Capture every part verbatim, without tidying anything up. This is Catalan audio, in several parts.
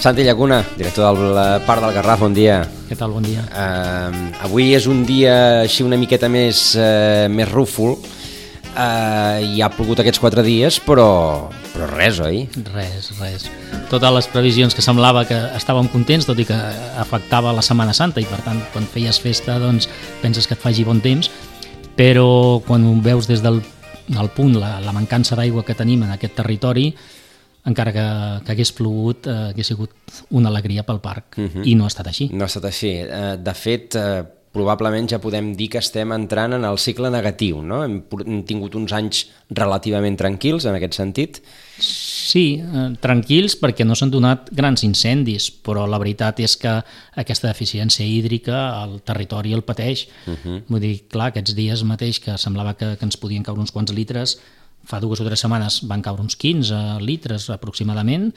Santi Llacuna, director del Parc del Garraf, bon dia. Què tal, bon dia. Uh, avui és un dia així una miqueta més, uh, més rúfol. Uh, i ha plogut aquests quatre dies, però, però res, oi? Res, res. Totes les previsions que semblava que estàvem contents, tot i que afectava la Setmana Santa, i per tant, quan feies festa, doncs, penses que et faci bon temps, però quan ho veus des del, del punt, la, la mancança d'aigua que tenim en aquest territori, encara que, que hagués plogut, eh, hagués sigut una alegria pel parc, uh-huh. i no ha estat així. No ha estat així. Uh, de fet, uh, probablement ja podem dir que estem entrant en el cicle negatiu, no? Hem, hem tingut uns anys relativament tranquils en aquest sentit. Sí, eh, tranquils perquè no s'han donat grans incendis, però la veritat és que aquesta deficiència hídrica el territori el pateix. Uh-huh. Vull dir, clar, aquests dies mateix que semblava que, que ens podien caure uns quants litres, fa dues o tres setmanes van caure uns quinze litres aproximadament,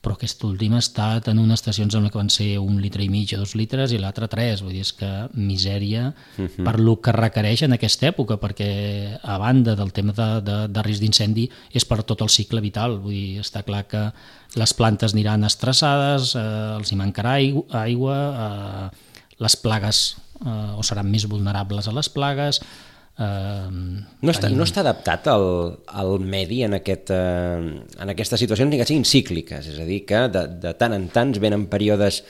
però aquest últim ha estat en unes estacions en què van ser un litre i mig o dos litres i l'altre tres, vull dir, és que misèria uh-huh. per lo que requereix en aquesta època, perquè a banda del tema de, de, de risc d'incendi és per tot el cicle vital, vull dir, està clar que les plantes aniran estressades, eh, els hi mancarà aigua, aigua eh, les plagues eh, o seran més vulnerables a les plagues. Uh, no, està, no està adaptat al, al medi en, aquest, uh, en aquestes situacions ni que siguin cícliques, és a dir, que de, de tant en tant venen períodes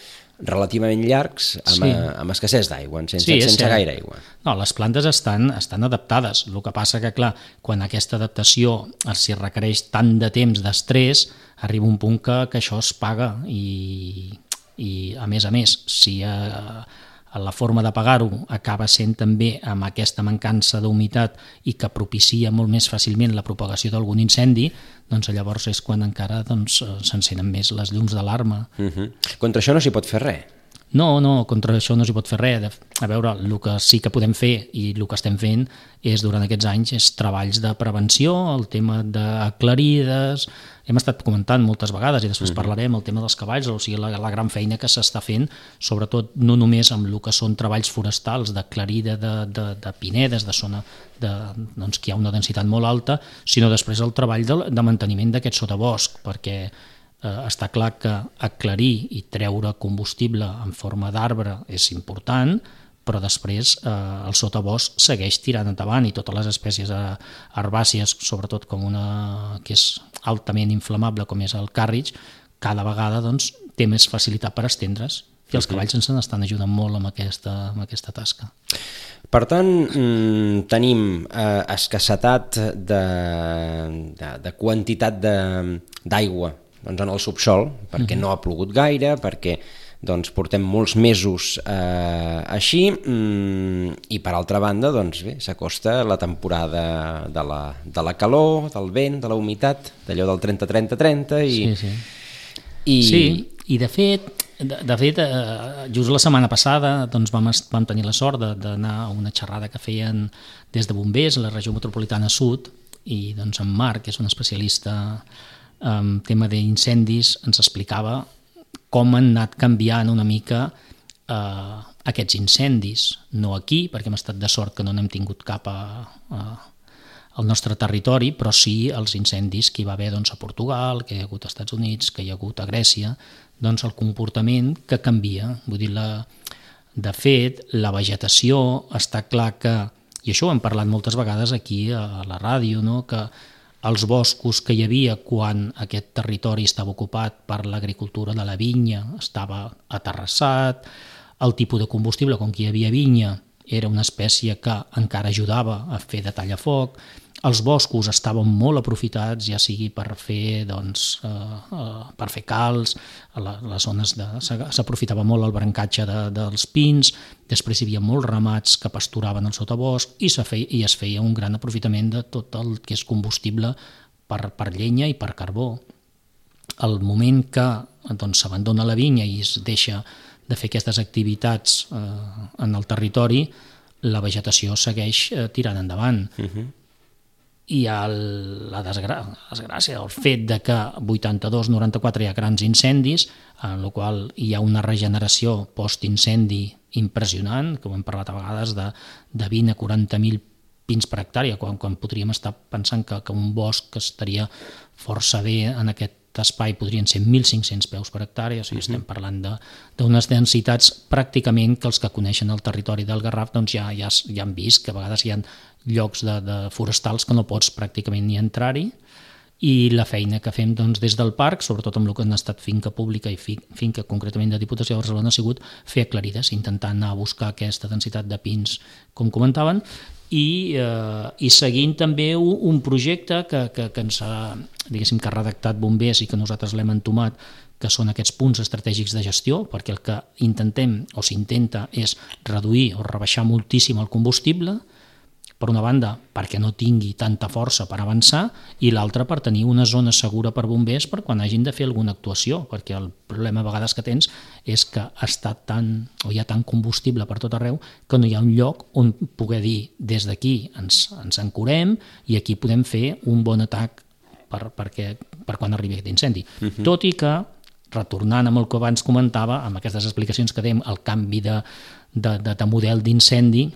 relativament llargs amb, sí. a, amb escassez d'aigua, sense, sí, sense gaire aigua. No, les plantes estan, estan adaptades, el que passa que, clar, quan aquesta adaptació s'hi requereix tant de temps d'estrès, arriba un punt que, que això es paga i, i a més a més, si uh, la forma de pagar-ho acaba sent també amb aquesta mancança d'humitat i que propicia molt més fàcilment la propagació d'algun incendi, doncs llavors és quan encara doncs, s'encenen més les llums d'alarma. Uh-huh. Contra això no s'hi pot fer res? No, no, contra això no s'hi pot fer res. A veure, el que sí que podem fer i el que estem fent és durant aquests anys és treballs de prevenció, el tema d'aclarides, hem estat comentant moltes vegades i després uh-huh. parlarem el tema dels cavalls, o sigui, la, la gran feina que s'està fent, sobretot no només amb el que són treballs forestals d'aclarida de, de, de pinedes, de zona de, doncs, que hi ha una densitat molt alta, sinó després el treball de, de manteniment d'aquest sotabosc, perquè eh, està clar que aclarir i treure combustible en forma d'arbre és important, però després eh, el sotabosc segueix tirant endavant i totes les espècies herbàcies, sobretot com una que és altament inflamable com és el càrrig, cada vegada doncs, té més facilitat per estendre's i els cavalls ens estan ajudant molt amb aquesta, amb aquesta tasca. Per tant, mmm, tenim eh, escassetat de, de, de quantitat d'aigua doncs, en el subsol, perquè uh-huh. no ha plogut gaire, perquè doncs portem molts mesos eh, així mm, i per altra banda doncs bé, s'acosta la temporada de la, de la calor, del vent, de la humitat, d'allò del trenta trenta trenta i... Sí, sí. I... sí, i de fet, de, de fet eh, just la setmana passada doncs, vam, vam tenir la sort d'anar a una xerrada que feien des de bombers a la regió metropolitana sud i doncs en Marc, que és un especialista en tema d'incendis, ens explicava com han anat canviant una mica eh, aquests incendis. No aquí, perquè hem estat de sort que no n'hem tingut cap a, a, al nostre territori, però sí els incendis que hi va haver doncs, a Portugal, que hi ha hagut als Estats Units, que hi ha hagut a Grècia, doncs el comportament que canvia. Vull dir, la, de fet, la vegetació està clar que, i això ho hem parlat moltes vegades aquí a la ràdio, no? Que els boscos que hi havia quan aquest territori estava ocupat per l'agricultura de la vinya estava aterrassat, el tipus de combustible, com que hi havia vinya, era una espècie que encara ajudava a fer de tallafoc, els boscos estaven molt aprofitats, ja sigui per fer, doncs, eh, eh, per fer calç, a la, les zones de, s'aprofitava molt el brancatge de, dels pins, després hi havia molts ramats que pasturaven al sotabosc i, feia, i es feia un gran aprofitament de tot el que és combustible per, per llenya i per carbó. Al moment que doncs, s'abandona la vinya i es deixa de fer aquestes activitats eh, en el territori, la vegetació segueix eh, tirant endavant. Uh-huh. I el, la desgrà- desgràcia, el fet de que vuitanta-dos noranta-quatre hi ha grans incendis, en el qual hi ha una regeneració post-incendi impressionant, com hem parlat a vegades, de, de vint a quaranta mil pins per hectàrea, quan, quan podríem estar pensant que, que un bosc estaria força bé en aquest d'espai podrien ser mil cinc-cents peus per hectàrea, o sigui, uh-huh. estem parlant d'unes de, densitats pràcticament que els que coneixen el territori del Garraf doncs ja, ja, ja han vist que a vegades hi ha llocs de, de forestals que no pots pràcticament ni entrar-hi, i la feina que fem doncs, des del parc, sobretot amb el que han estat finca pública i fi, finca concretament de Diputació de Barcelona, ha sigut fer aclarides, intentant anar a buscar aquesta densitat de pins, com comentaven, i, eh, i seguint també un, un projecte que, que, que ens ha, diguéssim, que ha redactat Bombers i que nosaltres l'hem entomat, que són aquests punts estratègics de gestió, perquè el que intentem o s'intenta és reduir o rebaixar moltíssim el combustible, per una banda perquè no tingui tanta força per avançar i l'altra per tenir una zona segura per bombers per quan hagin de fer alguna actuació, perquè el problema a vegades que tens és que està tan, o hi ha tant combustible per tot arreu que no hi ha un lloc on poder dir des d'aquí ens, ens ancorem i aquí podem fer un bon atac per, perquè, per quan arribi aquest incendi. Uh-huh. Tot i que, retornant amb el que abans comentava, amb aquestes explicacions que dèiem, el canvi de, de, de, de model d'incendi,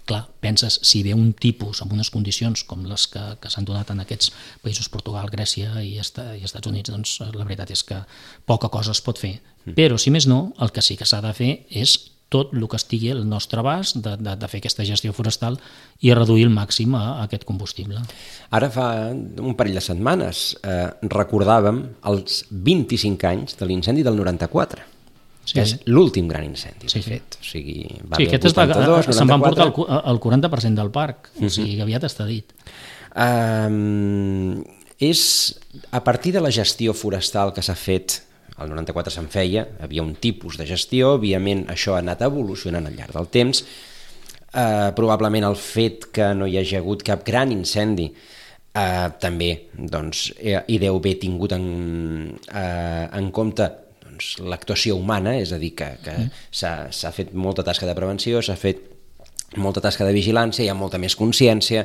clar, penses, si ve un tipus amb unes condicions com les que, que s'han donat en aquests països, Portugal, Grècia i, Est i Estats Units, doncs la veritat és que poca cosa es pot fer. Mm. Però, si més no, el que sí que s'ha de fer és tot el que estigui al nostre abast de, de, de fer aquesta gestió forestal i reduir al màxim a, a aquest combustible. Ara fa un parell de setmanes eh, recordàvem els vint-i-cinc anys de l'incendi del noranta-quatre. Sí. És l'últim gran incendi, sí, de fet. O sigui, va sí, aquest vuitanta-dos, se'n van portar el, el quaranta per cent del parc, o sigui, uh-huh. aviat està dit. Um, és a partir de la gestió forestal que s'ha fet, el noranta-quatre se'n feia, havia un tipus de gestió, òbviament això ha anat evolucionant al llarg del temps, uh, probablement el fet que no hi hagi hagut cap gran incendi uh, també doncs, hi deu haver tingut en, uh, en compte l'actuació humana, és a dir, que, que mm. s'ha fet molta tasca de prevenció, s'ha fet molta tasca de vigilància, hi ha molta més consciència,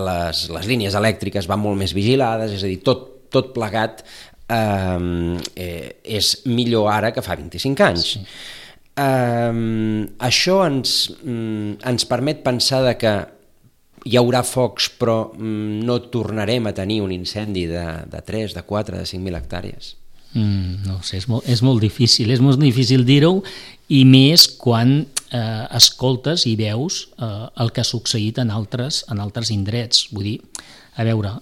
les, les línies elèctriques van molt més vigilades, és a dir, tot, tot plegat eh, eh, és millor ara que fa vint-i-cinc anys. Sí. Eh, això ens, ens permet pensar de que hi haurà focs, però no tornarem a tenir un incendi de, de tres, de quatre, de cinc mil hectàrees. Mm, no sé, és molt, és molt difícil, és molt difícil dir-ho, i més quan eh, escoltes i veus eh, el que ha succeït en altres, en altres indrets. Vull dir, a veure,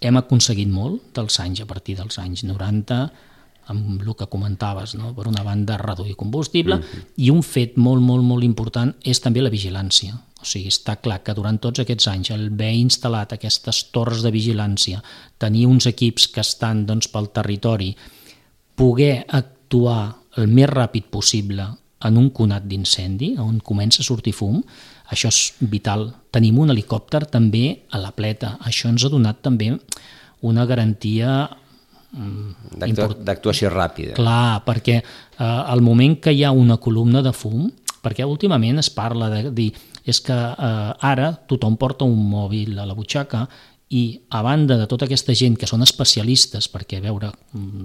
hem aconseguit molt dels anys, a partir dels anys noranta, amb el que comentaves, no? Per una banda, reduir combustible, mm-hmm. i un fet molt, molt, molt important és també la vigilància. O sigui, està clar que durant tots aquests anys el haver instal·lat aquestes torres de vigilància, tenir uns equips que estan doncs, pel territori, poder actuar el més ràpid possible en un conat d'incendi, on comença a sortir fum, això és vital. Tenim un helicòpter també a la pleta, això ens ha donat també una garantia d'actuació ràpida. Clar, perquè eh, al moment que hi ha una columna de fum, perquè últimament es parla de dir, és que eh, ara tothom porta un mòbil a la butxaca i a banda de tota aquesta gent que són especialistes, perquè veure,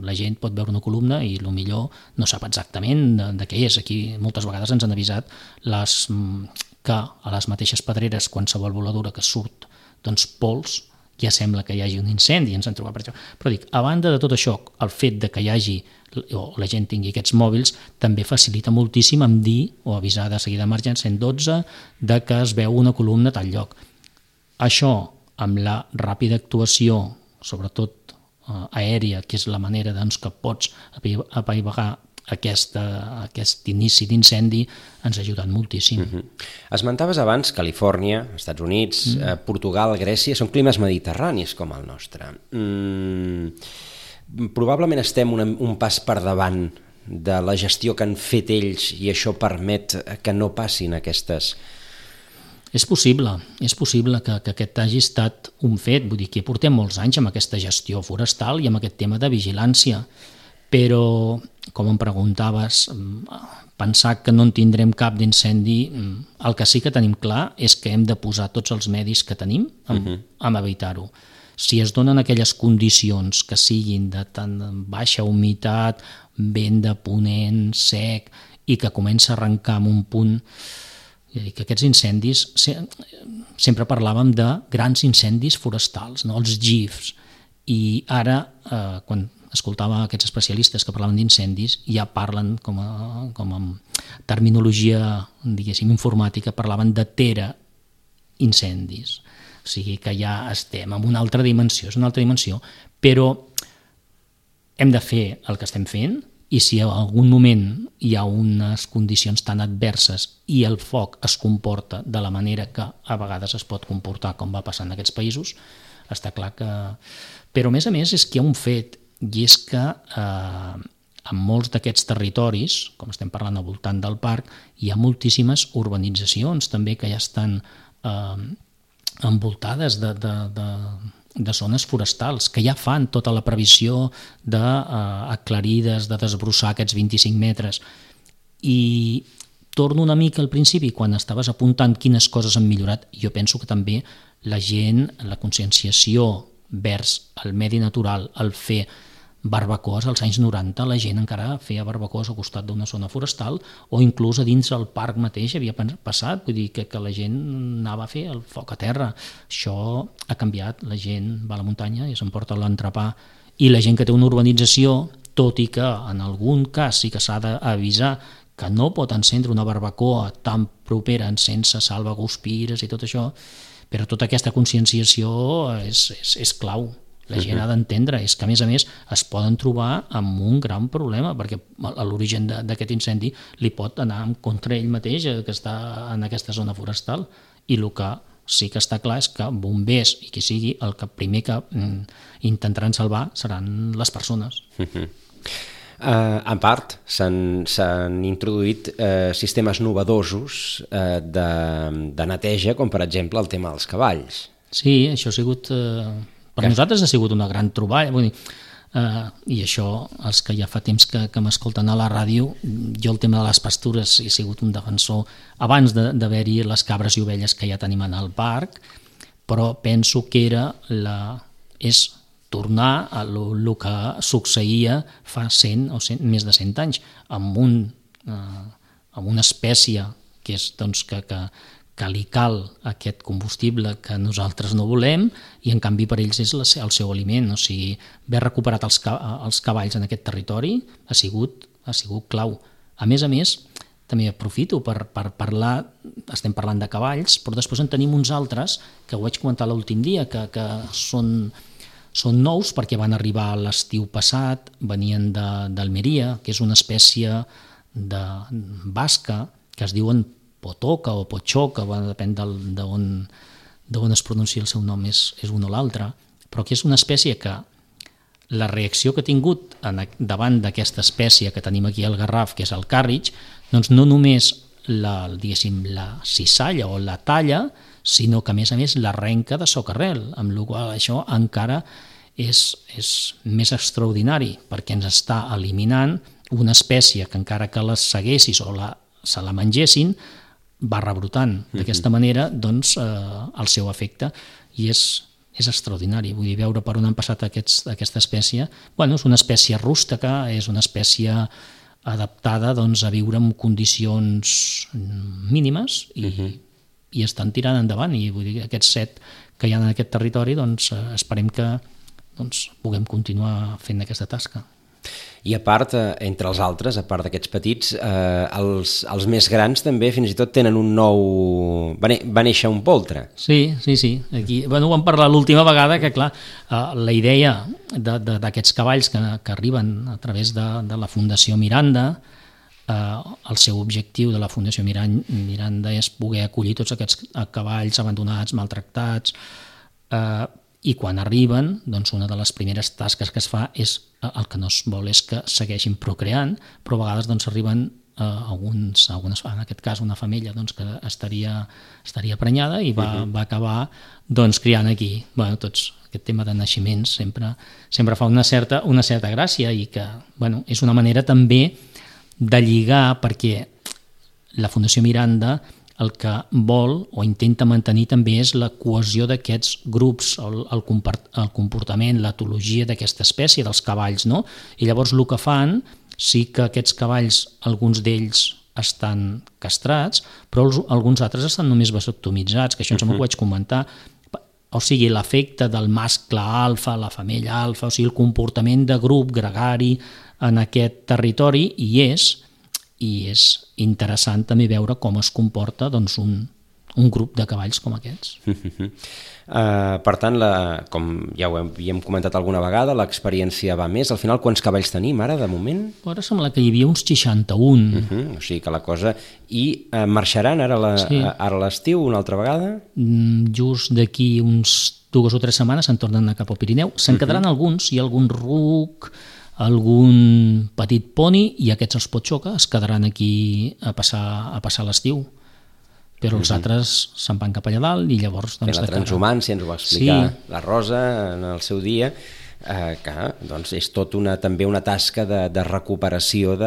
la gent pot veure una columna i el millor no sap exactament de, de què és. Aquí moltes vegades ens han avisat les, que a les mateixes pedreres, qualsevol voladura que surt doncs, pols, ja sembla que hi hagi un incendi, ens han trobat per això. Però dic, a banda de tot això, el fet de que hi hagi o la gent tingui aquests mòbils també facilita moltíssim en dir o avisar de seguida d'emergència cent dotze de que es veu una columna a tal lloc. Això, amb la ràpida actuació, sobretot eh, aèria, que és la manera doncs, que pots apaivagar aquesta, aquest inici d'incendi, ens ha ajudat moltíssim. Mm-hmm. Esmentaves abans Califòrnia, Estats Units, mm. eh, Portugal, Grècia, són climes mediterranis com el nostre. Mm, probablement estem un, un pas per davant de la gestió que han fet ells i això permet que no passin aquestes... És possible, és possible que, que aquest hagi estat un fet, vull dir que portem molts anys amb aquesta gestió forestal i amb aquest tema de vigilància, però, com em preguntaves, pensar que no en tindrem cap d'incendi, el que sí que tenim clar és que hem de posar tots els medis que tenim amb, uh-huh. amb evitar-ho. Si es donen aquelles condicions que siguin de tan baixa humitat, vent de ponent, sec, i que comença a arrencar en un punt... que aquests incendis, sempre parlàvem de grans incendis forestals, no? Els G I Fs, i ara, eh, quan escoltava aquests especialistes que parlaven d'incendis, ja parlen com a, com a terminologia, diguéssim, informàtica, parlaven de tera incendis. O sigui que ja estem en una altra dimensió, és una altra dimensió, però hem de fer el que estem fent, i si en algun moment hi ha unes condicions tan adverses i el foc es comporta de la manera que a vegades es pot comportar, com va passar en aquests països, està clar que... Però a més a més és que hi ha un fet, i és que eh, en molts d'aquests territoris, com estem parlant al voltant del parc, hi ha moltíssimes urbanitzacions també que ja estan eh, envoltades de, de, de, de zones forestals, que ja fan tota la previsió d'aclarides, de, eh, de desbrossar aquests vint-i-cinc metres. I torno una mica al principi, quan estaves apuntant quines coses han millorat, jo penso que també la gent, la conscienciació vers el medi natural, el fer barbacoes als anys noranta, la gent encara feia barbacoes al costat d'una zona forestal o inclús a dins el parc mateix havia passat, vull dir que, que la gent anava a fer el foc a terra. Això ha canviat, la gent va a la muntanya i s'emporta l'entrepà, i la gent que té una urbanització, tot i que en algun cas sí que s'ha d'avisar que no pot encendre una barbacoa tan propera sense salvaguspires i tot això, però tota aquesta conscienciació és, és, és clau. La gent ha d'entendre, és que a més a més es poden trobar amb un gran problema, perquè a l'origen d'aquest incendi li pot anar en contra ell mateix, que està en aquesta zona forestal, i el que sí que està clar és que bombers i qui sigui, el que primer que mm, intentaran salvar seran les persones. Uh-huh. Uh, en part, s'han introduït uh, sistemes novedosos uh, de, de neteja, com per exemple el tema dels cavalls. Sí, això ha sigut... Uh... Per nosaltres ha sigut una gran troballa, vull dir, eh, i això, els que ja fa temps que, que m'escolten a la ràdio, jo el tema de les pastures he sigut un defensor abans d'haver-hi de, les cabres i ovelles que ja tenim en el parc, però penso que era la, és tornar a el que succeïa fa cent o cent, més de cent anys, amb, un, eh, amb una espècie que és, doncs, que, que que li cal aquest combustible que nosaltres no volem, i en canvi per ells és el seu aliment. O sigui, haver recuperat els, els cavalls en aquest territori ha sigut, ha sigut clau. A més a més, també aprofito per, per parlar, estem parlant de cavalls, però després en tenim uns altres, que ho vaig comentar l'últim dia, que, que són, són nous perquè van arribar l'estiu passat, venien d'Almeria, que és una espècie de basca que es diuen potoca o potxoca, depèn d'on es pronuncia el seu nom, és, és un o l'altre, però que és una espècie que la reacció que ha tingut en, davant d'aquesta espècie que tenim aquí al Garraf, que és el càrrig, doncs no només la, diguéssim, la cissalla o la talla, sinó que a més a més l'arrenca de socarrel, amb la qual això encara és, és més extraordinari, perquè ens està eliminant una espècie que encara que les seguessis o la, se la mengessin, va rebrotant. D'aquesta manera, doncs, eh, el seu efecte, i és, és extraordinari. Vull dir, veure per on han passat aquests, aquesta espècie. Bueno, és una espècie rústeca, és una espècie adaptada, doncs, a viure en condicions mínimes i, uh-huh. i estan tirant endavant. I vull dir, aquests set que hi ha en aquest territori, doncs, eh, esperem que doncs, puguem continuar fent aquesta tasca. I a part, entre els altres, a part d'aquests petits, eh, els, els més grans també fins i tot tenen un nou... Va, va néixer un poltre. Sí, sí, sí. Aquí, bueno, ho vam parlar l'última vegada, que clar, eh, la idea d'aquests cavalls que, que arriben a través de, de la Fundació Miranda, eh, el seu objectiu de la Fundació Miranda és poder acollir tots aquests cavalls abandonats, maltractats, eh, i quan arriben, doncs una de les primeres tasques que es fa és, el que no es vol és que segueixin procreant, però a vegades doncs, arriben eh, alguns, algunes, en aquest cas una femella doncs, que estaria, estaria prenyada i va, uh-huh. va acabar doncs, criant aquí. Bueno, tots, aquest tema de naixements sempre, sempre fa una certa, una certa gràcia, i que bueno, és una manera també de lligar, perquè la Fundació Miranda el que vol o intenta mantenir també és la cohesió d'aquests grups, el, el, el comportament, l'etologia d'aquesta espècie, dels cavalls, no? I llavors el que fan, sí que aquests cavalls, alguns d'ells estan castrats, però els, alguns altres estan només vasectomitzats, que això uh-huh. em ho vaig comentar. o sigui, l'efecte del mascle alfa, la femella alfa, o sigui, el comportament de grup gregari en aquest territori, i és, i és interessant també veure com es comporta doncs, un, un grup de cavalls com aquests. Uh, per tant, la, com ja ho havíem comentat alguna vegada, l'experiència va més. Al final, quants cavalls tenim ara, de moment? Ara sembla que hi havia uns seixanta-un. Uh -huh, o sigui que la cosa... I uh, marxaran ara la, sí. ara a l'estiu una altra vegada? Mm, just d'aquí uns dues o tres setmanes se'n tornen a anar cap al Pirineu. Se'n uh -huh. quedaran alguns, hi ha algun ruc, algun petit poni, i aquests els Potxoca es quedaran aquí a passar, a passar l'estiu. Però els uh -huh. altres se'n van cap allà dalt i llavors... Doncs, la transhumància, ens ho va explicar sí. la Rosa en el seu dia, eh, que doncs, és tot una, també una tasca de, de recuperació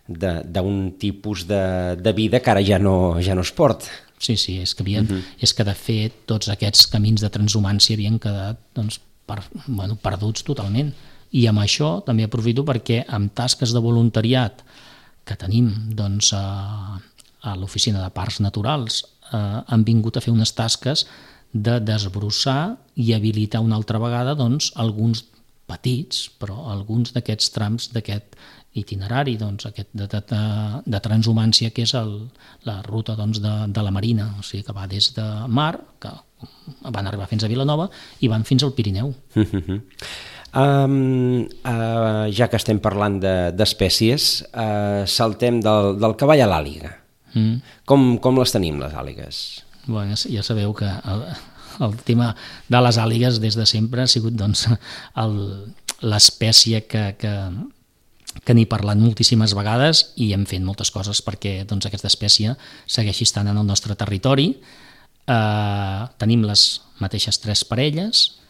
d'un tipus de, de vida que ara ja no, ja no es porta. Sí, sí, és que, havien, uh -huh. és que de fet tots aquests camins de transhumància havien quedat doncs, per, bueno, perduts totalment. I amb això també aprofito perquè amb tasques de voluntariat que tenim doncs, a, a l'Oficina de Parcs Naturals eh, han vingut a fer unes tasques de desbrossar i habilitar una altra vegada doncs, alguns petits, però alguns d'aquests trams d'aquest itinerari, doncs, aquest de, de, de transhumància, que és el, la ruta doncs, de, de la Marina, o sigui que va des de Mar, que van arribar fins a Vilanova, i van fins al Pirineu. Um, uh, ja que estem parlant d'espècies, de, uh, saltem del, del cavall a l'àliga. Mm. Com, com les tenim, les àligues? Bueno, ja sabeu que el, el tema de les àligues des de sempre ha sigut doncs, l'espècie que, que, que n'he parlat moltíssimes vegades i hem fet moltes coses perquè doncs, aquesta espècie segueixi estant en el nostre territori. Eh, tenim les mateixes tres parelles,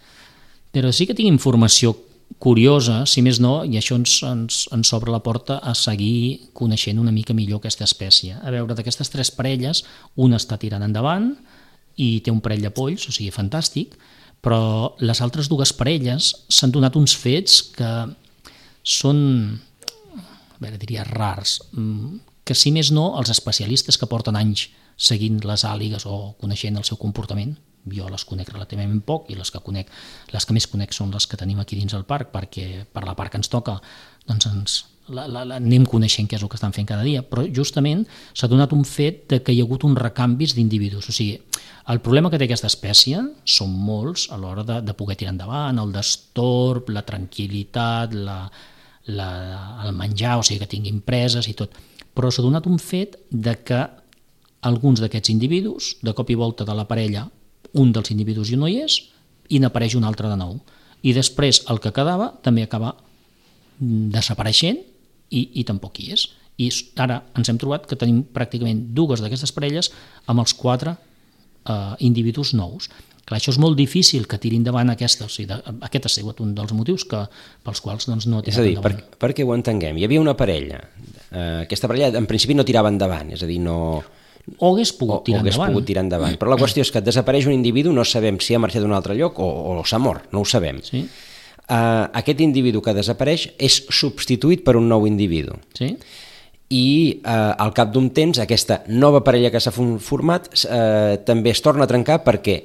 però sí que tinc informació curiosa, si més no, i això ens, ens, ens obre la porta a seguir coneixent una mica millor aquesta espècie. A veure, d'aquestes tres parelles, una està tirant endavant i té un parell de polls, o sigui, fantàstic, però les altres dues parelles s'han donat uns fets que són, a veure, diria rars, que si més no, els especialistes que porten anys seguint les àligues o coneixent el seu comportament, jo les conec relativament poc i les que conec, les que més conec són les que tenim aquí dins el parc, perquè per la part que ens toca doncs ens la, la, la, anem coneixent què és el que estan fent cada dia, però justament s'ha donat un fet de que hi ha hagut uns recanvis d'individus. O sigui, el problema que té aquesta espècie són molts a l'hora de, de poder tirar endavant, el destorb, la tranquil·litat, la, la, el menjar, o sigui que tinguin preses i tot, però s'ha donat un fet de que alguns d'aquests individus, de cop i volta de la parella, un dels individus ja no hi és i n'apareix un altre de nou. I després el que quedava també acaba desapareixent i, i tampoc hi és. I ara ens hem trobat que tenim pràcticament dues d'aquestes parelles amb els quatre eh, individus nous. Clar, això és molt difícil que tiri endavant aquesta, o sigui, de, aquest ha sigut un dels motius que, pels quals doncs, no ha tirat endavant. És a dir, per, perquè ho entenguem, hi havia una parella, eh, aquesta parella en principi no tirava endavant, és a dir, no... O hagués pogut tirar o, o hagués endavant. pogut tirar endavant. Però la qüestió és que desapareix un individu, no sabem si ha marxat d'un altre lloc o, o s'ha mort, no ho sabem. Sí. Uh, aquest individu que desapareix és substituït per un nou individu. Sí. I uh, al cap d'un temps aquesta nova parella que s'ha format uh, també es torna a trencar perquè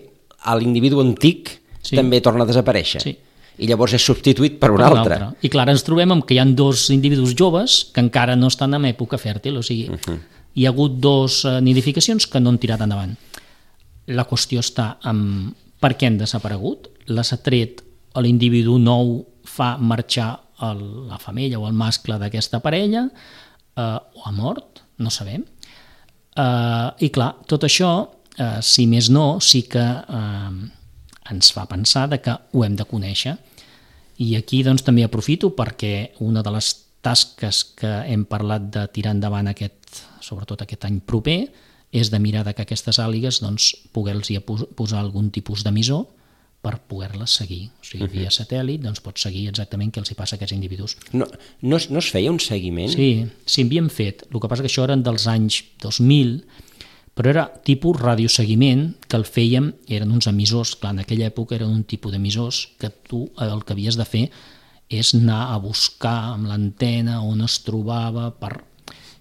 l'individu antic sí. també torna a desaparèixer. Sí. I llavors és substituït per un, per un altre. altre. I clar, ens trobem amb que hi ha dos individus joves que encara no estan en època fèrtil, o sigui... Uh-huh. Hi ha hagut dos nidificacions que no han tirat endavant. La qüestió està en per què han desaparegut. Les ha tret l'individu nou, fa marxar el, la femella o el mascle d'aquesta parella, eh, o ha mort, no sabem. Eh, I clar, tot això, eh, si més no, sí que eh, ens fa pensar de que ho hem de conèixer. I aquí doncs, també aprofito perquè una de les tasques que hem parlat de tirar endavant aquest, sobretot aquest any proper, és de mirar que aquestes àligues doncs, poder-los posar algun tipus d'emissor per poder-les seguir. O sigui, via satèl·lit doncs, pots seguir exactament què els hi passa a aquests individus. No, no, es, no es feia un seguiment? Sí, sí, havíem fet. El que passa que això eren dels anys dos mil, però era tipus radioseguiment, que el fèiem, eren uns emissors, clar, en aquella època eren un tipus d'emissors que tu el que havies de fer és anar a buscar amb l'antena on es trobava per...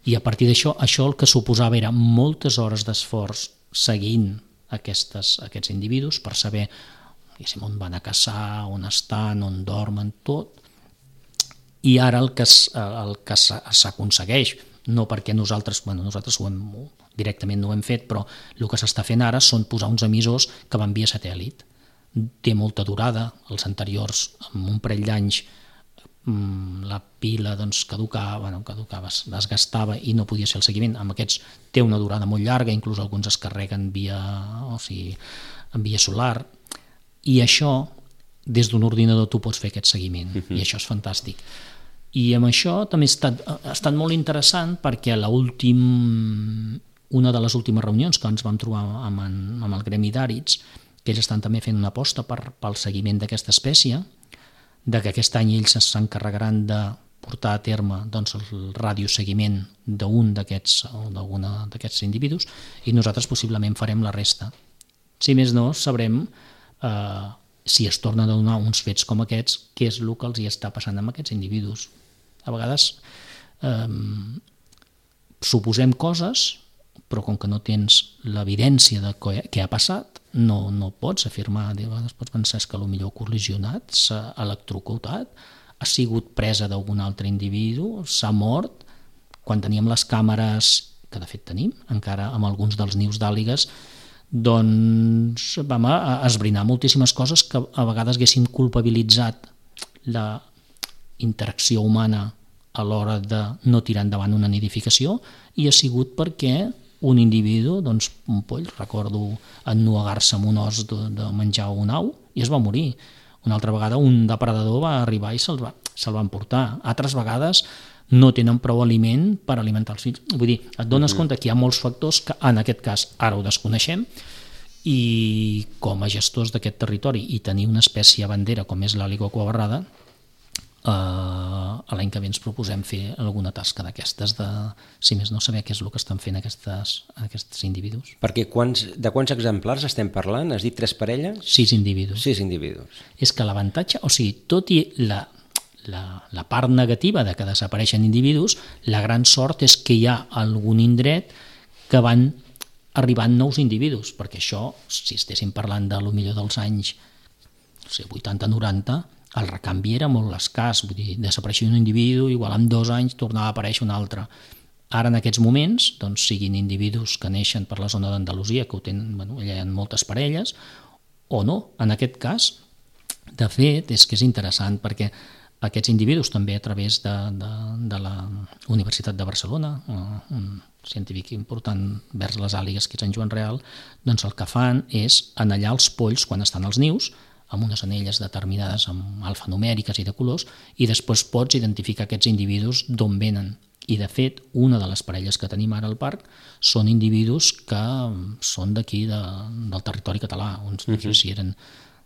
i a partir d'això, això el que suposava era moltes hores d'esforç seguint aquestes, aquests individus per saber on van a caçar, on estan, on dormen, tot. I ara el que, el que s'aconsegueix, no perquè nosaltres, bueno, nosaltres ho hem, directament no ho hem fet, però el que s'està fent ara són posar uns emissors que van via satèl·lit. Té molta durada, els anteriors, amb un parell d'anys, la pila doncs, caducava, bueno, caducava, es gastava i no podia ser el seguiment. Amb aquests té una durada molt llarga, inclús alguns es carreguen via, o sigui, en via solar, i això, des d'un ordinador tu pots fer aquest seguiment, uh-huh. I això és fantàstic. I amb això també ha estat, ha estat molt interessant perquè a l'últim, una de les últimes reunions que ens vam trobar amb, en, amb el gremi d'àrids, que ells estan també fent una aposta per, pel seguiment d'aquesta espècie, de que aquest any ells s'encarregaran de portar a terme doncs, el radioseguiment d'un d'aquests o d'alguna d'aquests individus i nosaltres possiblement farem la resta. Si més no, sabrem eh, si es tornen a donar uns fets com aquests, què és el que els hi està passant amb aquests individus. A vegades eh, suposem coses, però com que no tens l'evidència de què ha passat, no, no pots afirmar, de vegades pots pensar que potser ha col·lisionat, s'ha electrocutat, ha sigut presa d'algun altre individu, s'ha mort. Quan teníem les càmeres, que de fet tenim, encara amb alguns dels nius d'àligues, doncs vam esbrinar moltíssimes coses que a vegades haguéssim culpabilitzat la interacció humana a l'hora de no tirar endavant una nidificació i ha sigut perquè un individu, doncs un poll, recordo ennuegar-se amb un os de, de menjar un au i es va morir. Una altra vegada un depredador va arribar i se'l va, se'l van portar. Altres vegades no tenen prou aliment per alimentar els fills. Vull dir, et dones uh-huh. compte que hi ha molts factors que en aquest cas ara ho desconeixem i com a gestors d'aquest territori i tenir una espècie bandera com és l'àliga aquabarrada, Uh, l'any que ve ens proposem fer alguna tasca d'aquestes de, si més no, saber què és el que estan fent aquestes, aquests individus. Perquè quants, de quants exemplars estem parlant? Has dit tres parelles? Sis individus. Sis individus. És que l'avantatge, o sigui, tot i la, la, la part negativa de que desapareixen individus, la gran sort és que hi ha algun indret que van arribant nous individus, perquè això, si estéssim parlant de lo millor dels anys no sé, vuitanta noranta, el recanvi era molt escàs, vull dir, desapareixia un individu, igual en dos anys tornava a aparèixer un altre. Ara en aquests moments, doncs, siguin individus que neixen per la zona d'Andalusia, que ho tenen, bueno, allà hi ha moltes parelles, o no, en aquest cas, de fet, és que és interessant, perquè aquests individus també a través de, de, de la Universitat de Barcelona, un científic important vers les àligues, que és en Joan Real, doncs el que fan és anellar els polls quan estan als nius, amb unes anelles determinades amb alfanumèriques i de colors, i després pots identificar aquests individus d'on venen. I de fet, una de les parelles que tenim ara al parc són individus que són d'aquí, de, del territori català. Uns no sé si eren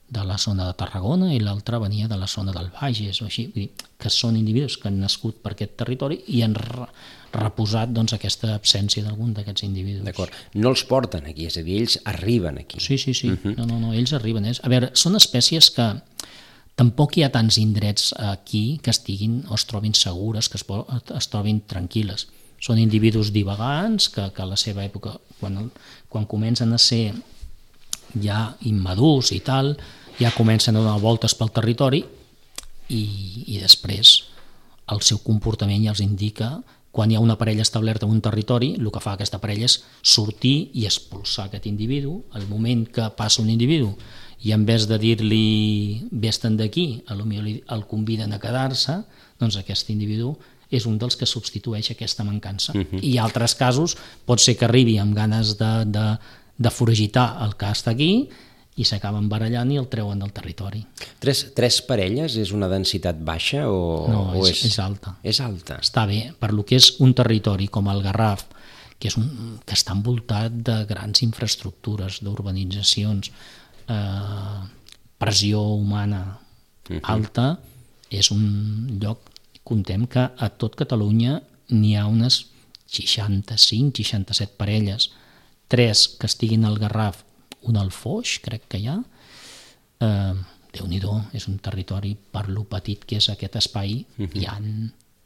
de la zona de Tarragona i l'altre venia de la zona del Bages, o així, vull dir, que són individus que han nascut per aquest territori i han reposat doncs, aquesta absència d'algun d'aquests individus. D'acord. No els porten aquí, és a dir, ells arriben aquí. Sí, sí, sí. Uh-huh. No, no, no, ells arriben. A veure, són espècies que tampoc hi ha tants indrets aquí que estiguin o es trobin segures, que es, es trobin tranquil·les. Són individus divagants que, que a la seva època, quan, quan comencen a ser ja immadurs i tal, ja comencen a donar voltes pel territori i, i després el seu comportament ja els indica quan hi ha una parella establerta en un territori, el que fa aquesta parella és sortir i expulsar aquest individu. Al moment que passa un individu i en vez de dir-li vés-te'n d'aquí, potser el conviden a quedar-se, doncs aquest individu és un dels que substitueix aquesta mancança. Uh-huh. I en altres casos pot ser que arribi amb ganes de, de, de foragitar el que està aquí i s'acaben barallant i el treuen del territori. Tres, tres parelles és una densitat baixa o, no, o és, és... és alta. És alta. Està bé, per lo que és un territori com el Garraf, que, és un, que està envoltat de grans infraestructures, d'urbanitzacions, eh, pressió humana uh-huh. alta, és un lloc, contem que a tot Catalunya n'hi ha unes seixanta-cinc seixanta-set parelles, tres que estiguin al Garraf, un al Foix, crec que hi ha. Eh, Déu-n'hi-do, és un territori, per lo petit que és aquest espai, uh-huh. hi, ha,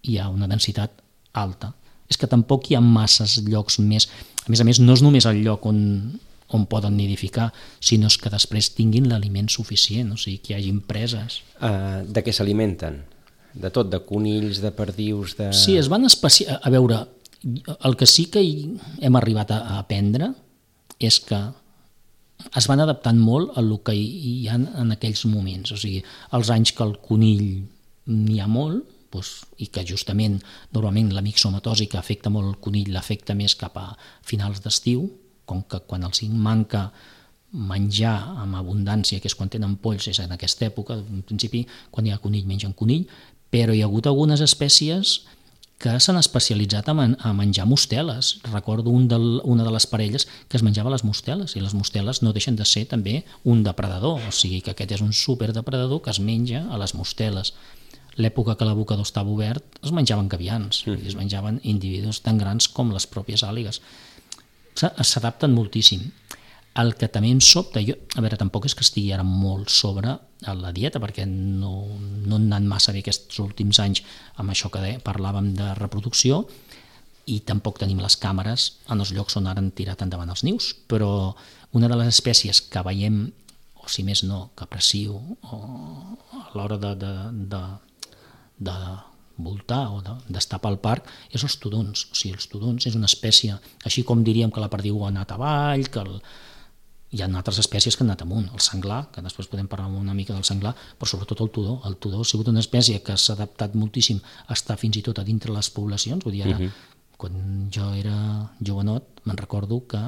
hi ha una densitat alta. És que tampoc hi ha masses llocs més. A més a més, no és només el lloc on, on poden nidificar, sinó que després tinguin l'aliment suficient, o sigui, que hi hagi preses. Uh, de què s'alimenten? De tot, de conills, de perdius, de... Sí, es van especiar... A veure, el que sí que hem arribat a aprendre és que es van adaptant molt a el que hi ha en aquells moments, o sigui, els anys que el conill n'hi ha molt, doncs, i que justament normalment la mixomatosi que afecta molt el conill l'afecta més cap a finals d'estiu, com que quan els manca menjar amb abundància, que és quan tenen polls, és en aquesta època, en principi, quan hi ha conill mengen conill, però hi ha hagut algunes espècies que s'han especialitzat a menjar mosteles. Recordo un del, una de les parelles que es menjava les mosteles, i les mosteles no deixen de ser també un depredador, o sigui que aquest és un superdepredador que es menja a les mosteles. L'època que l'abocador estava obert es menjaven gavians, mm. es menjaven individus tan grans com les pròpies àligues. S'adapten moltíssim. El que també em sobta, jo, a veure, tampoc és que estigui ara molt sobre la dieta, perquè no, no han anat massa bé aquests últims anys amb això que de, parlàvem de reproducció, i tampoc tenim les càmeres en els llocs on ara han tirat endavant els nius, però una de les espècies que veiem, o si més no, que aprecio o a l'hora de, de, de, de voltar o d'estar pel parc, és els tudons. O sigui, els tudons és una espècie, així com diríem que la perdiu ha anat avall, que el, hi ha altres espècies que han anat amunt, el senglar, que després podem parlar una mica del senglar, però sobretot el tudó. El tudó ha sigut una espècie que s'ha adaptat moltíssim a estar fins i tot a dintre les poblacions. Vull dir, ara, uh-huh. quan jo era jovenot, me'n recordo que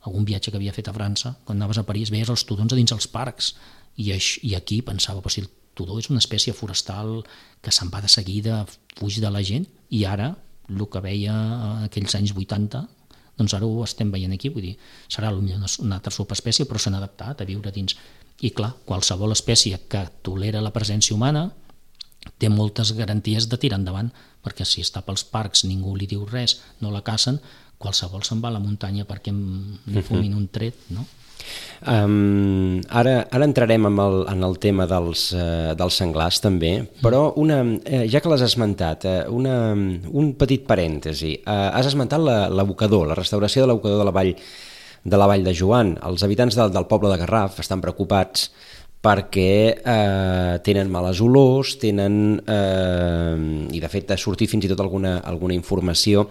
algun viatge que havia fet a França, quan anaves a París, veies els tudons a dins els parcs, i, i aquí pensava, però si el tudó és una espècie forestal que se'n va de seguida, fuig de la gent, i ara, el que veia en aquells anys vuitanta, doncs ara ho estem veient aquí, vull dir, serà potser una altra subespècie, però s'han adaptat a viure dins. I clar, qualsevol espècie que tolera la presència humana té moltes garanties de tirar endavant, perquè si està pels parcs, ningú li diu res, no la cacen, qualsevol se'n va a la muntanya perquè li fumin un tret, no? Um, ara, ara entrarem en el, en el tema dels, uh, dels senglars també, però una, eh, ja que l'has esmentat, eh, una, un petit parèntesi. Uh, has esmentat l'abocador, la, la restauració de l'abocador de la vall de la Vall de Joan. Els habitants del, del poble de Garraf estan preocupats perquè eh, tenen males olors, tenen, eh, i de fet ha sortit fins i tot alguna, alguna informació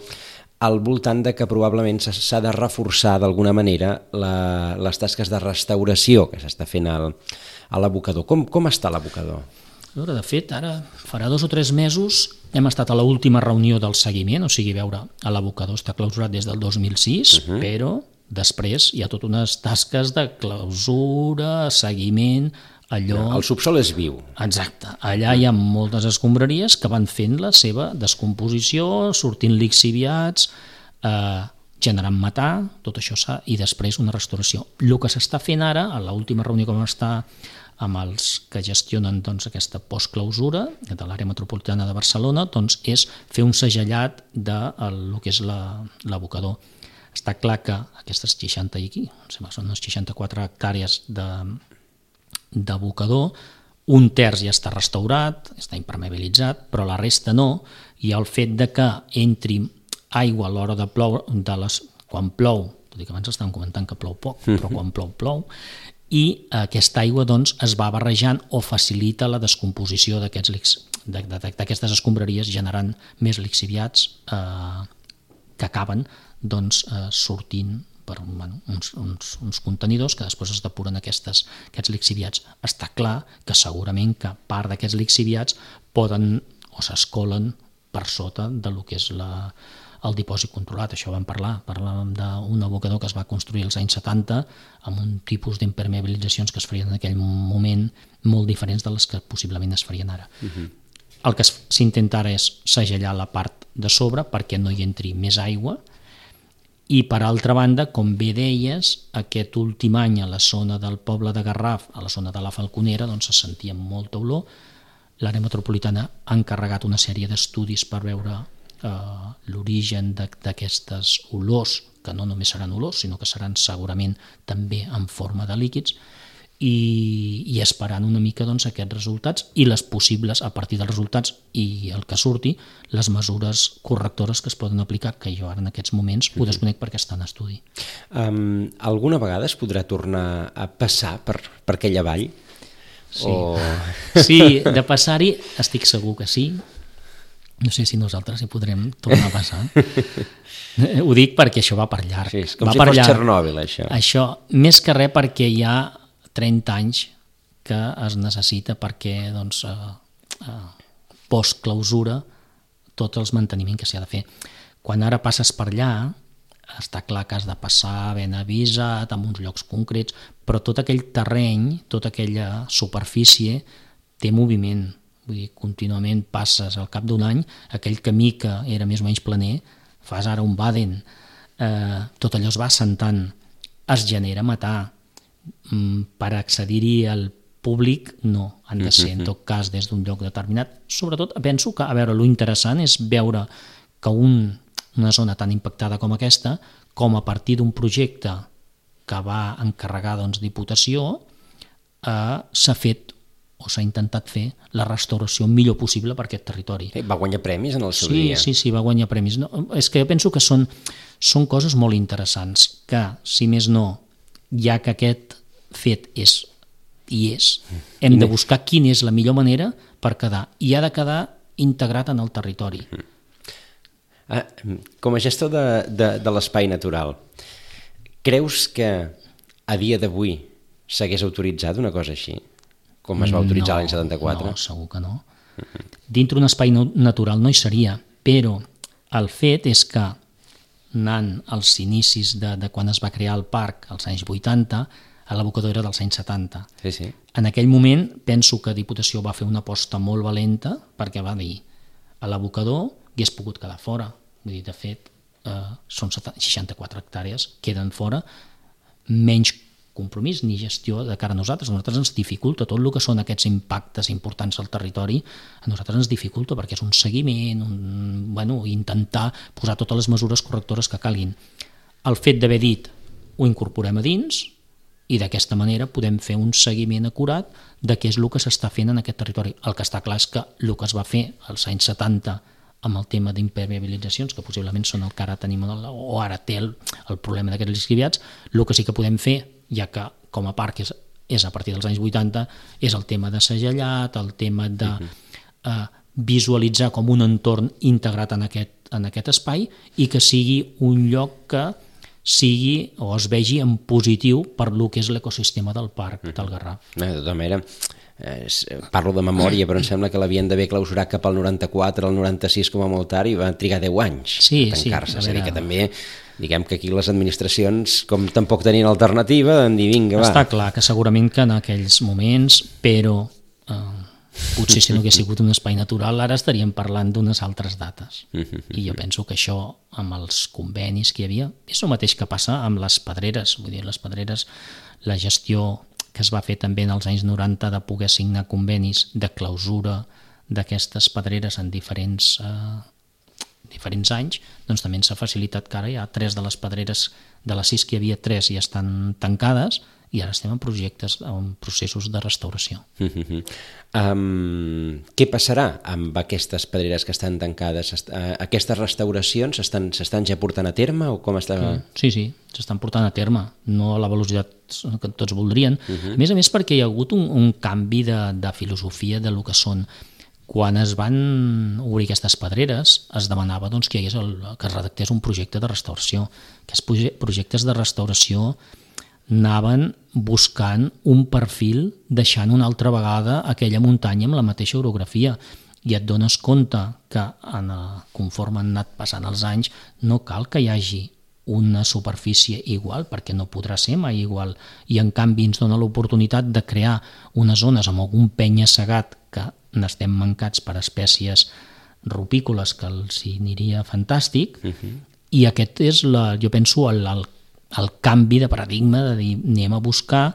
al voltant de que probablement s'ha de reforçar d'alguna manera la, les tasques de restauració que s'està fent al, a l'abocador. Com, com està l'abocador? De fet, ara farà dos o tres mesos hem estat a l'última reunió del seguiment, o sigui, veure, l'abocador està clausurat des del dos mil sis, uh-huh. però després hi ha totes unes tasques de clausura, seguiment, allò... El subsol és viu. Exacte. Allà hi ha moltes escombraries que van fent la seva descomposició, sortint lixiviats, eh, generant metà, tot això s'ha... i després una restauració. El que s'està fent ara, a l'última reunió que vam estar amb els que gestionen doncs, aquesta postclausura de l'àrea metropolitana de Barcelona, doncs, és fer un segellat de el, el que és l'abocador. Està clar que aquestes seixanta i aquí, són unes seixanta-quatre hectàrees de d'abocador, un terç ja està restaurat, està impermeabilitzat, però la resta no, i el fet de que entri aigua a l'hora de ploure, de les, quan plou, tot i que abans estàvem comentant que plou poc, però quan plou, plou, i aquesta aigua doncs, es va barrejant o facilita la descomposició d'aquestes escombraries, generant més lixiviats eh, que acaben doncs, eh, sortint per bueno, uns, uns, uns contenidors que després es depuren aquestes, aquests lixiviats. Està clar que segurament que part d'aquests lixiviats poden o s'escolen per sota del que és la, el dipòsit controlat. Això vam parlar, parlàvem d'un abocador que es va construir als anys setanta amb un tipus d'impermeabilitzacions que es farien en aquell moment molt diferents de les que possiblement es farien ara. Uh-huh. El que s'intenta ara és segellar la part de sobre perquè no hi entri més aigua. I, per altra banda, com bé deies, aquest últim any a la zona del poble de Garraf, a la zona de la Falconera, doncs se sentia molta olor. L'àrea metropolitana ha encarregat una sèrie d'estudis per veure eh, l'origen d'aquestes olors, que no només seran olors, sinó que seran segurament també en forma de líquids, i, i esperant una mica doncs, aquests resultats i les possibles, a partir dels resultats i el que surti, les mesures correctores que es poden aplicar, que jo ara en aquests moments ho desconec perquè està en estudi. Um, alguna vegada es podrà tornar a passar per, per aquella vall? Sí. O... sí, de passar-hi estic segur que sí. No sé si nosaltres hi podrem tornar a passar. Ho dic perquè això va per llarg. Sí, és com va si per fos llarg. Txernòbil, això. Això, més que res perquè hi ha trenta anys que es necessita perquè doncs, eh, eh, post-clausura tot els manteniment que s'hi ha de fer. Quan ara passes per allà, està clar que has de passar ben avisat, en uns llocs concrets, però tot aquell terreny, tota aquella superfície té moviment. Vull dir, contínuament passes al cap d'un any, aquell camí que era més o menys planer, fas ara un Baden, eh, tot allò es va assentant, es genera matar. Per accedir-hi al públic no, han de ser en tot cas des d'un lloc determinat. Sobretot penso que, a veure, lo interessant és veure que un, una zona tan impactada com aquesta, com a partir d'un projecte que va encarregar doncs, Diputació, eh, s'ha fet o s'ha intentat fer la restauració millor possible per aquest territori. Va guanyar premis en el seu sí, dia. Sí, sí, va guanyar premis. No, és que jo penso que són, són coses molt interessants, que, si més no, ja que aquest fet és i és, hem de buscar quina és la millor manera per quedar, i ha de quedar integrat en el territori. Ah, com a gestor de, de, de l'espai natural, creus que a dia d'avui s'hagués autoritzat una cosa així, com es va autoritzar no, l'any setanta-quatre? No, segur que no. Dintre un espai no, natural no hi seria, però el fet és que anant als inicis de, de quan es va crear el parc, als anys vuitanta, a l'abocador era dels anys setanta. Sí, sí. En aquell moment penso que Diputació va fer una aposta molt valenta perquè va dir a l'abocador hagués pogut quedar fora. Vull dir, de fet, eh, són seixanta-quatre hectàrees, queden fora, menys compromís ni gestió de cara a nosaltres. A nosaltres ens dificulta tot el que són aquests impactes importants al territori, a nosaltres ens dificulta perquè és un seguiment, un, bueno, intentar posar totes les mesures correctores que calguin. El fet d'haver dit ho incorporem a dins i d'aquesta manera podem fer un seguiment acurat de què és el que s'està fent en aquest territori. El que està clar és que el que es va fer als anys setanta amb el tema d'impermeabilitzacions, que possiblement són el que ara tenim, o ara té el, el problema d'aquests lixiviats, el que sí que podem fer, ja que com a parc és, és a partir dels anys vuitanta, és el tema de segellat, el tema de eh, visualitzar com un entorn integrat en aquest, en aquest espai i que sigui un lloc que sigui o es vegi en positiu per lo que és l'ecosistema del parc del Garraf. De tota manera, eh, parlo de memòria, però em sembla que l'havien d'haver clausurat cap al noranta-quatre, al noranta-sis com a molt tard, i va trigar deu anys sí, a tancar-se. Sí, és a dir, que també, diguem que aquí les administracions, com tampoc tenien alternativa, van dir vinga, va. Està clar que segurament que en aquells moments, però eh, potser si no hagués sigut un espai natural, ara estaríem parlant d'unes altres dates. I jo penso que això, amb els convenis que hi havia, és el mateix que passa amb les pedreres. Vull dir, les pedreres, la gestió que es va fer també en els anys noranta de poder signar convenis de clausura d'aquestes pedreres en diferents, eh, diferents anys, doncs també s'ha facilitat que ara hi ha tres de les pedreres, de les sis que hi havia, tres ja estan tancades, i ara estem en projectes, en processos de restauració. Uh-huh. Um, què passarà amb aquestes pedreres que estan tancades? Uh, aquestes restauracions s'estan ja portant a terme o com està? Sí, sí, s'estan portant a terme, no a la velocitat que tots voldrien. Uh-huh. A més a més perquè hi ha hagut un, un canvi de, de filosofia de lo que són. Quan es van obrir aquestes pedreres es demanava doncs, que, hi hagués el, que es redactés un projecte de restauració. Aquests projectes de restauració anaven buscant un perfil deixant una altra vegada aquella muntanya amb la mateixa orografia i et dones compte que en, conforme han anat passant els anys no cal que hi hagi una superfície igual perquè no podrà ser mai igual i en canvi ens dona l'oportunitat de crear unes zones amb algun penya-segat que n'estem mancats per espècies rupícoles que els hi aniria fantàstic uh-huh. i aquest és, la, jo penso, el, el el canvi de paradigma de dir anem a buscar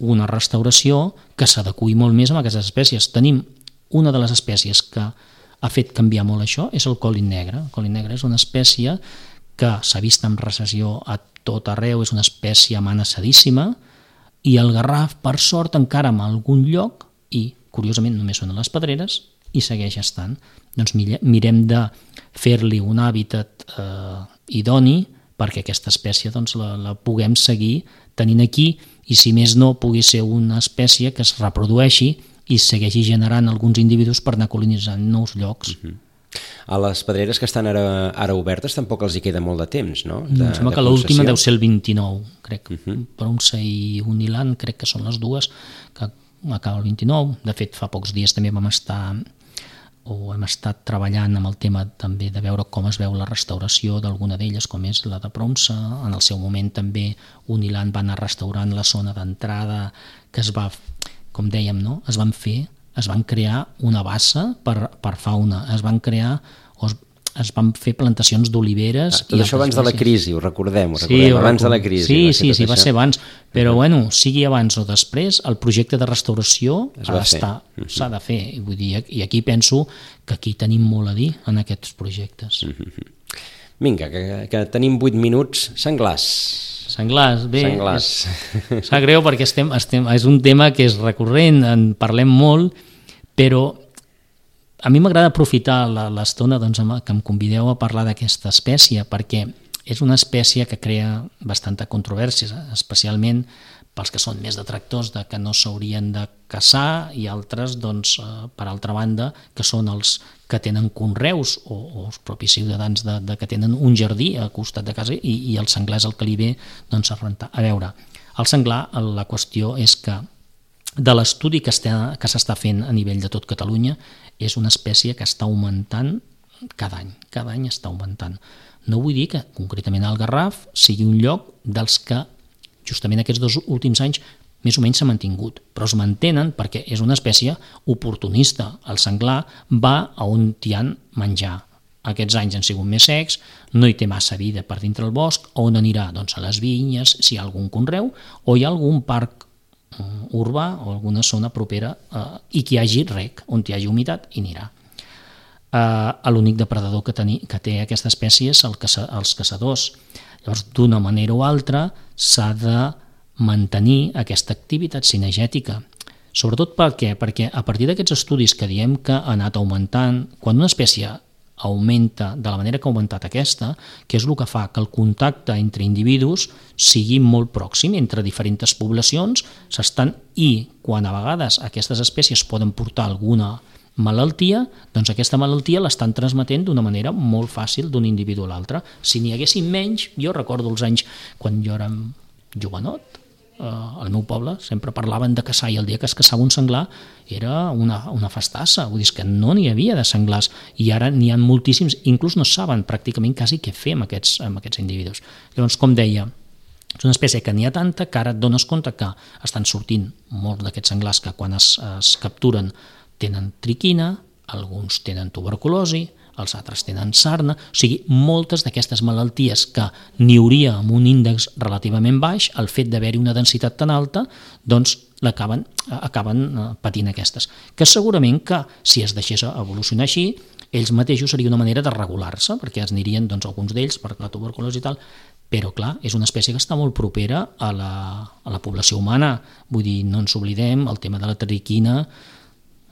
una restauració que s'adeqüi molt més a aquestes espècies. Tenim una de les espècies que ha fet canviar molt això, és el colin negre. El colin negre és una espècie que s'ha vist en recessió a tot arreu, és una espècie amenaçadíssima, i el garraf, per sort, encara en algun lloc, i curiosament només són a les pedreres, i segueix estant. Doncs mirem de fer-li un hàbitat eh, idoni perquè aquesta espècie doncs, la, la puguem seguir tenint aquí, i si més no pugui ser una espècie que es reprodueixi i segueixi generant alguns individus per anar colonitzant nous llocs. Uh-huh. A les pedreres que estan ara, ara obertes tampoc els hi queda molt de temps, no? De, em sembla que l'última deu ser el vint-i-nou, crec. Uh-huh. Bronça i Uniland crec que són les dues, que acaba el vint-i-nou. De fet, fa pocs dies també vam estar o hem estat treballant amb el tema també de veure com es veu la restauració d'alguna d'elles, com és la de Bronça. En el seu moment també Uniland va anar restaurant la zona d'entrada que es va, com dèiem, no? es van fer, es van crear una bassa per, per fauna, es van crear o es, es van fer plantacions d'oliveres. Ah, tot això abans de la crisi, ho recordem, ho sí, recordem, ho abans record... de la crisi. Sí, va sí, sí, va això. ser abans, però uh-huh. bueno, sigui abans o després, el projecte de restauració ha d'estar, uh-huh. s'ha de fer, i, vull dir, i aquí penso que aquí tenim molt a dir en aquests projectes. Uh-huh. Vinga, que, que tenim vuit minuts. Senglars. Senglars, bé, Senglars. És, sap greu perquè estem, estem, és un tema que és recurrent, en parlem molt, però a mi m'agrada aprofitar l'estona doncs, que em convideu a parlar d'aquesta espècie, perquè és una espècie que crea bastanta controvèrsia, especialment pels que són més detractors de que no s'haurien de caçar, i altres, doncs, per altra banda, que són els que tenen conreus o, o els propis ciutadans de, de que tenen un jardí a costat de casa, i, i el senglar és el que li ve doncs, a rentar. A veure, el senglar, la qüestió és que de l'estudi que està, que s'està fent a nivell de tot Catalunya, és una espècie que està augmentant cada any, cada any està augmentant. No vull dir que concretament el Garraf sigui un lloc dels que justament aquests dos últims anys més o menys s'ha mantingut, però es mantenen perquè és una espècie oportunista. El senglar va a on hi ha menjar. Aquests anys han sigut més secs, no hi té massa vida per dintre el bosc, on anirà? Doncs a les vinyes, si hi ha algun conreu, o hi ha algun parc urbà o alguna zona propera eh, i que hi hagi rec, on hi hagi humitat, i anirà. Eh, l'únic depredador que, teni, que té aquesta espècie és el caça, els caçadors. Llavors, d'una manera o altra, s'ha de mantenir aquesta activitat cinegètica. Sobretot per què? Perquè a partir d'aquests estudis que diem que ha anat augmentant, quan una espècie augmenta de la manera que ha augmentat aquesta, que és el que fa que el contacte entre individus sigui molt pròxim entre diferents poblacions, s'estan, i quan a vegades aquestes espècies poden portar alguna malaltia, doncs aquesta malaltia l'estan transmetent d'una manera molt fàcil d'un individu a l'altre. Si n'hi haguessin menys, jo recordo els anys quan jo era jovenot, al meu poble sempre parlaven de caçar, i el dia que es caçava un senglar era una, una festassa, vull dir que no n'hi havia de senglars, i ara n'hi ha moltíssims, inclús no saben pràcticament quasi què fer amb aquests, amb aquests individus. Llavors, com deia, és una espècie que n'hi ha tanta que ara et dones compte que estan sortint molts d'aquests senglars que quan es, es capturen tenen triquina, alguns tenen tuberculosi, els altres tenen sarna, o sigui, moltes d'aquestes malalties que n'hi hauria amb un índex relativament baix, el fet d'haver-hi una densitat tan alta, doncs l'acaben, acaben patint aquestes. Que segurament que si es deixés evolucionar així, ells mateixos seria una manera de regular-se, perquè es anirien doncs, alguns d'ells per la tuberculosi i tal, però clar, és una espècie que està molt propera a la, a la població humana. Vull dir, no ens oblidem, el tema de la triquina.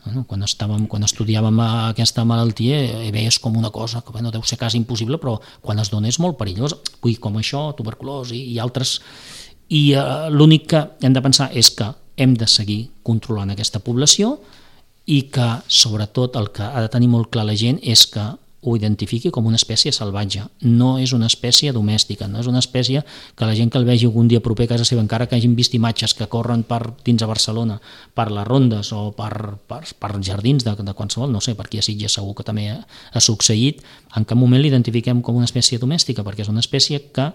Bueno, quan, estàvem, quan estudiàvem aquesta malaltia veies com una cosa que bueno, deu ser quasi impossible, però quan es dona és molt perillós. Vull dir, com això, tuberculosi i altres. I eh, l'únic que hem de pensar és que hem de seguir controlant aquesta població, i que, sobretot, el que ha de tenir molt clar la gent és que ho identifiqui com una espècie salvatge. No és una espècie domèstica, no és una espècie que la gent que el vegi algun dia proper a casa seva, encara que hagin vist imatges que corren per dins a Barcelona, per les rondes o per, per, per jardins de, de qualsevol, no sé, per aquí a Sitges segur que també ha, ha succeït, en cap moment l'identifiquem com una espècie domèstica, perquè és una espècie que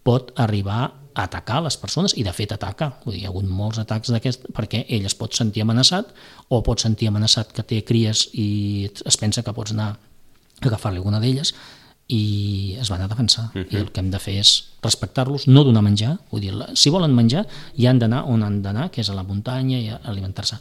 pot arribar a atacar les persones, i de fet ataca. Vull dir, hi ha hagut molts atacs d'aquest, perquè ell es pot sentir amenaçat, o pot sentir amenaçat que té cries i es pensa que pots anar agafar-li alguna d'elles, i es van a defensar. Uh-huh. I el que hem de fer és respectar-los, no donar menjar. Vull dir, si volen menjar, ja han d'anar on han d'anar, que és a la muntanya, i a alimentar-se.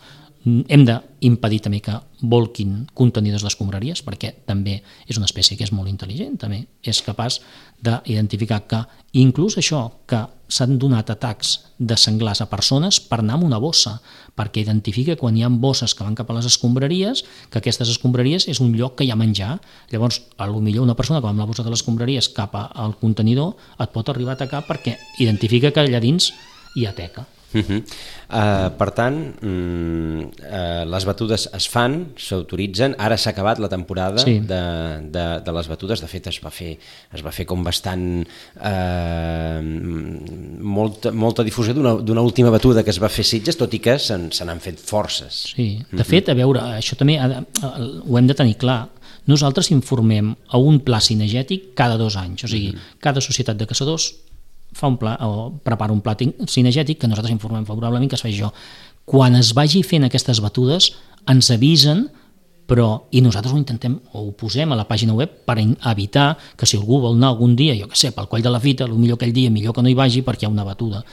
hem d'impedir també que volquin contenidors d'escombraries, perquè també és una espècie que és molt intel·ligent, també és capaç d'identificar que inclús això, que s'han donat atacs de senglars a persones per anar amb una bossa, perquè identifica quan hi ha bosses que van cap a les escombraries, que aquestes escombraries és un lloc que hi ha menjar. Llavors, potser una persona que va amb la bossa de les escombraries cap al contenidor et pot arribar a atacar perquè identifica que allà dins hi ha teca. Uh -huh. uh, per tant, mm, uh, les batudes es fan, s'autoritzen. Ara s'ha acabat la temporada sí. de, de, de les batudes. De fet, es va fer, es va fer com bastant uh, molta, molta difusió d'una última batuda que es va fer a Sitges, tot i que se n'han fet forces. Sí, de fet, a veure, això també ha de, ho hem de tenir clar. Nosaltres informem a un pla cinegètic cada dos anys, o sigui, cada societat de caçadors fa un pla, o prepara un pla cinegètic que nosaltres informem favorablement que es fa això. Quan es vagi fent aquestes batudes ens avisen, però i nosaltres ho intentem o ho posem a la pàgina web per evitar que si algú vol anar algun dia, jo què sé, pel coll de la fita, potser aquell dia millor que no hi vagi perquè hi ha una batuda,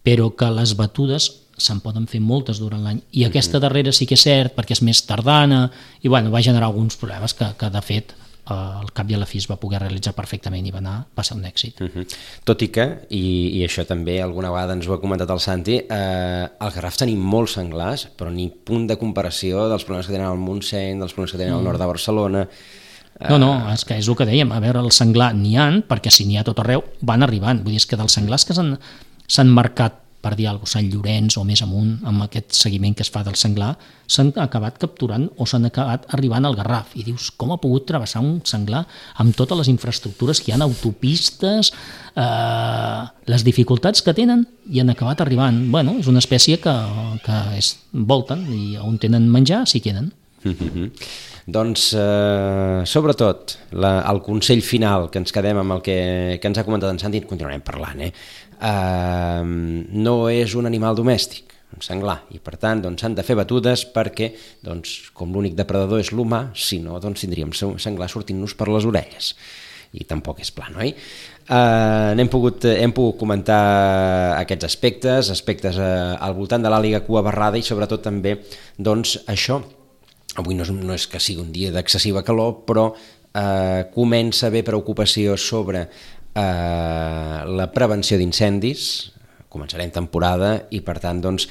però que les batudes se'n poden fer moltes durant l'any i aquesta darrera sí que és cert perquè és més tardana i bueno, va generar alguns problemes que, que de fet al cap i a la fi es va poder realitzar perfectament i va anar, va ser un èxit. Uh-huh. Tot i que, i, i això també alguna vegada ens ho ha comentat el Santi, eh, al Garraf tenim molts senglars, però ni punt de comparació dels problemes que tenen al Montseny, dels problemes que tenen al nord de Barcelona. No, no, és que és el que dèiem, a veure, el senglar n'hi ha, perquè si n'hi ha tot arreu, van arribant. Vull dir, és que dels senglars que s'han marcat per dir alguna cosa, Sant Llorenç o més amunt, amb aquest seguiment que es fa del senglar, s'han acabat capturant o s'han acabat arribant al Garraf. I dius, com ha pogut travessar un senglar amb totes les infraestructures que hi ha, autopistes, eh, les dificultats que tenen i han acabat arribant. Bueno, és una espècie que, que es volten i on tenen menjar s'hi queden. Mm-hmm. Doncs, eh, sobretot, la, el consell final que ens quedem amb el que, que ens ha comentat en Santi, en continuarem parlant, eh? Uh, no és un animal domèstic, un senglar, i per tant doncs, s'han de fer batudes perquè, doncs, com l'únic depredador és l'humà, si no doncs, tindríem senglar sortint-nos per les orelles. I tampoc és pla, no? Uh, hem, pogut, hem pogut comentar aquests aspectes, aspectes uh, al voltant de l'àliga cua barrada i sobretot també doncs, això. Avui no és, no és que sigui un dia d'excessiva calor, però uh, comença a haver preocupació sobre Uh, la prevenció d'incendis. Començarem temporada i per tant doncs,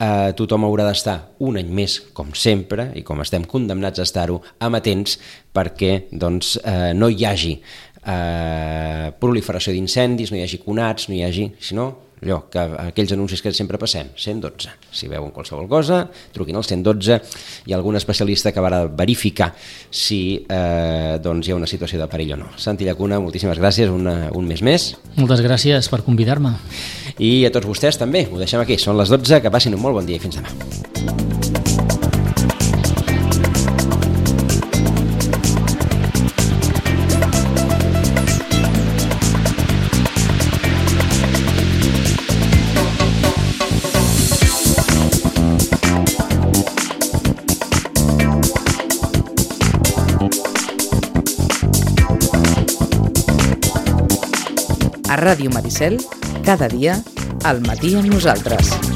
uh, tothom haurà d'estar un any més com sempre i com estem condemnats a estar-ho amatents perquè doncs, uh, no hi hagi uh, proliferació d'incendis, no hi hagi conats, no hi hagi, sinó allò, que aquells anuncis que sempre passem, cent dotze. Si veuen qualsevol cosa, truquin al cent dotze i algun especialista acabarà de verificar si eh, doncs hi ha una situació de perill o no. Santi Llacuna, moltíssimes gràcies, una, un mes més. Moltes gràcies per convidar-me. I a tots vostès també, ho deixem aquí, són les dotze, que passin un molt bon dia i fins demà. A Ràdio Maricel, cada dia, al matí amb nosaltres.